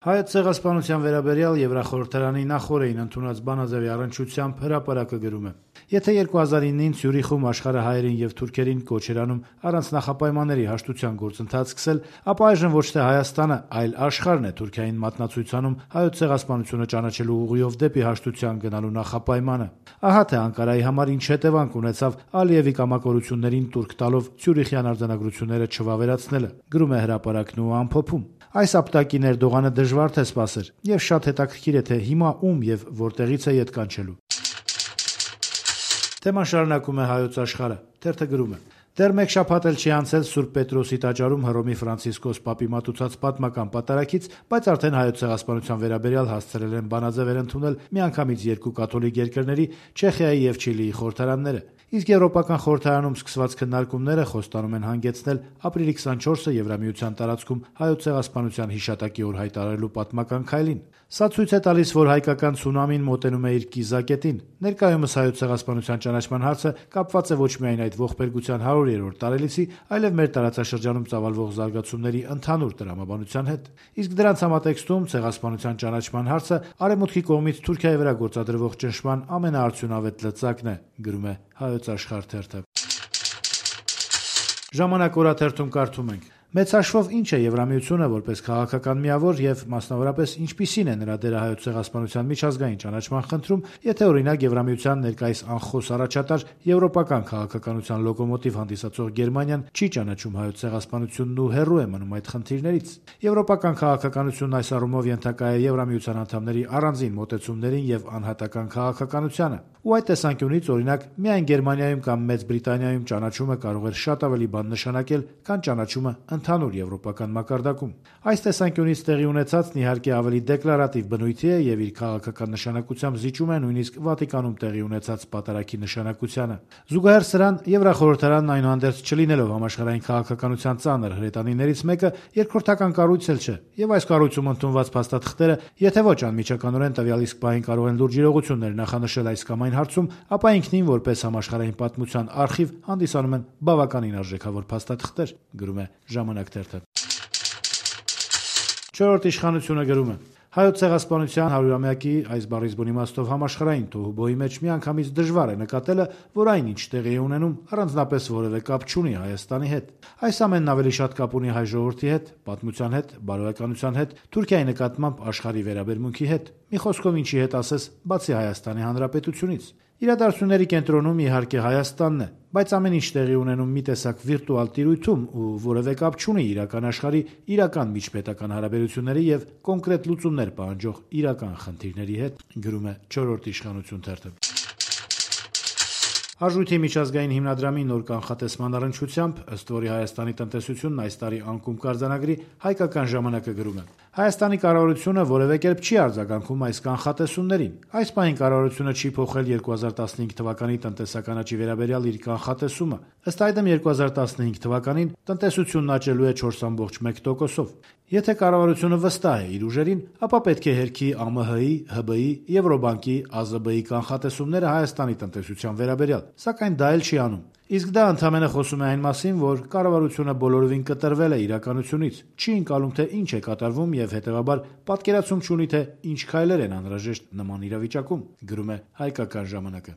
Հայոց ցեղասպանության վերաբերյալ Եվրախորհրդարանի նախօրեին ընդունած բանաձևի առնչությամբ հրապարակը գրում է. Եթե 2009-ին Ցյուրիխում աշխարհը հայերին եւ թուրքերին կոչ էր անում առանց նախապայմանների հաշտության գործընթաց սկսել, ապա այժմ ոչ թե Հայաստանը, այլ աշխարհն է Թուրքիային մատնացույց անում հայոց ցեղասպանությունը ճանաչելու ուղղությամբ դեպի հաշտության գնալու նախապայմանը։ Ահա թե Անկարայի համար ինչ հետևանք ունեցավ Ալիևի կամակորություններին տուրք տալով Ցյուրիխյան արձանագրությունները չվավերացնելը, գրում է հրապարակն ու ամփոփում. Այս ապտակին Էրդողանը դժվար թե սպասեր, եւ շատ հետաքրքիր է, թե հիմա ում եւ որտեղից է ետ կանչելու։ Թեման շարունակում է Հայոց Աշխարհը, թերթը գրում է. Դեռ մեկ շաբաթ էլ չի անցել Սուրբ Պետրոսի տաճարում Հռոմի Ֆրանցիսկոս Պապի մատուցած պատմական պատարագից, բայց արդեն հայոց ցեղասպանության վերաբերյալ հասցրել են բանաձևեր ընդունել միանգամից երկու կաթոլիկ երկրների՝ Չեխիայի եւ Չիլիի խորհրդարանները։ Իսկ Եվրոպական խորհրդարանում սկսված քննարկումները խոստանում են հանգեցնել ապրիլի 24-ը Եվրամիության տարածքում հայոց ցեղասպանության հիշատակի օր հայտարարելու պատմական քայլին։ Սա ցույց է տալիս, որ հայկական ցունամին մոտենում է իր կիզակետին։ Ներկայումս հայոց ցեղասպանության ճանաչման հարցը կապված է ոչ միայն այդ ողբերգության 100-րդ տարելիցի, այլև մեր տարածաշրջանում ծավալվող զարգացումների ընդհանուր տրամաբանության հետ։ Իսկ դրանց համատեքստում ցեղասպանության ճանաչման հարցը արևմուտքի կողմից Թուրքիայի վրա գործադրվող ճնշման ամենաարդյունավետ լծակն է, գրում է Հայոց Աշխարհ թերթը։ Ժամանակ օրաթերթում կարդում ենք. Մեծ հաշվով ինչ է Եվրամիությունը որպես քաղաքական միավոր եւ մասնավորապես ինչպիսին է նրա դերը հայոց ցեղասպանության միջազգային ճանաչման խնդրում, եթե օրինակ Եվրամիության ներկայիս անխոս առաջատար եվրոպական քաղաքականության լոկոմոտիվ հանդիսացող Գերմանիան չի ճանաչում հայոց ցեղասպանությունն ու հեռու է մնում այդ խնդիրներից։ Եվրոպական քաղաքականությունն այս առումով ենթակա է Եվրամիության անդամների առանձին մոտեցումներին եւ անհատական քաղաքականությանը։ Ու այդ տեսանկյունից օրինակ միայն Գերմանիայում կամ Մեծ Բրիտանիայում ճանաչումը կարող էր շատ ավելի բան նշանակել, քան ճանաչումը ընդհանուր եվրոպական մակարդակում։ Այս տեսանկյունից տեղի ունեցածն իհարկե ավելի դեկլարատիվ բնույթի է եւ իր քաղաքական նշանակությամբ զիջում է նույնիսկ Վատիկանում տեղի ունեցած պատարագի նշանակությանը։ Զուգահեռ սրան Եվրախորհրդարանն այնուհանդերձ չլինելով համաշխարհային քաղաքականության ծանր հրետանիներից մեկը, երկրորդական կառույց էլ չէ, եւ այս կառույցում ընդունված փաստաթղթերը, եթե ոչ անմիջականորեն տվյալ իսկ պահին կարող են լուրջ իրողություններ նախանշել այս կամ այն հարցում, ապա ինքնին որպես համաշխարհային պատմության արխիվ հանդիսանում են բավականին արժեքավոր փաստաթղթեր, գրում է Ժամանակ թերթը։ Չորրորդ իշխանությունը գրում է. Հայոց ցեղասպանության 100-ամյակի այս բառից բուն իմաստով համաշխարհային թոհուբոհի մեջ միանգամից դժվար է նկատելը, որ այն ինչ տեղի է ունենում առանձնապես որևէ կապ չունի Հայաստանի հետ։ Այս ամենն ավելի շատ կապ ունի հայ ժողովրդի հետ, պատմության հետ, բարոյականության հետ, Թուրքիայի նկատմամբ աշխարհի վերաբերմունքի հետ։ Մի խոսքով ինչի հետ ասես, բացի Հայաստանի Հանրապետությունից։ Իրադարձությունների կենտրոնում իհարկե Հայաստանն է, բայց ամեն ինչ տեղի ունենում մի տեսակ վիրտուալ տիրույթում ու որևէ կապ չունի իրական աշխարհի իրական միջպետական հարաբերությունների եւ կոնկրետ լուծումներ պահանջող իրական խնդիրների հետ, գրում է Չորրորդ իշխանություն թերթը։ Արժույթի միջազգային հիմնադրամի նոր կանխատեսման առնչությամբ, ըստ որի Հայաստանի տնտեսությունն այս տարի անկում կարձանագրի, Հայկական ժամանակը գրում է. Հայաստանի կառավարությունը որևէ կերպ չի արձագանքում այս կանխատեսումներին։ Այս պահին կառավարությունը չի փոխել 2015 թվականի տնտեսական աճի վերաբերյալ իր կանխատեսումը։ Ըստ այդմ 2015 թվականին տնտեսությունն աճելու է 4.1%-ով։ Եթե կառավարությունը վստահ է իր ուժերին, ապա պետք է հերքի ԱՄՀ-ի, ՀԲ-ի, Եվրոբանկի, ԱԶԲ-ի կանխատեսումները Հայաստանի տնտեսության վերաբերյալ, սակայն դա էլ չի անում։ Իսկ դա ընդհանրապես խոսում է այն մասին, որ կառավարությունը բոլորովին կտրվել է իրականությունից, չի ընկալում, թե ինչ է կատարվում եւ հետեւաբար պատկերացում չունի, թե ինչ քայլեր են անհրաժեշտ նման իրավիճակում, գրում է Հայկական ժամանակը։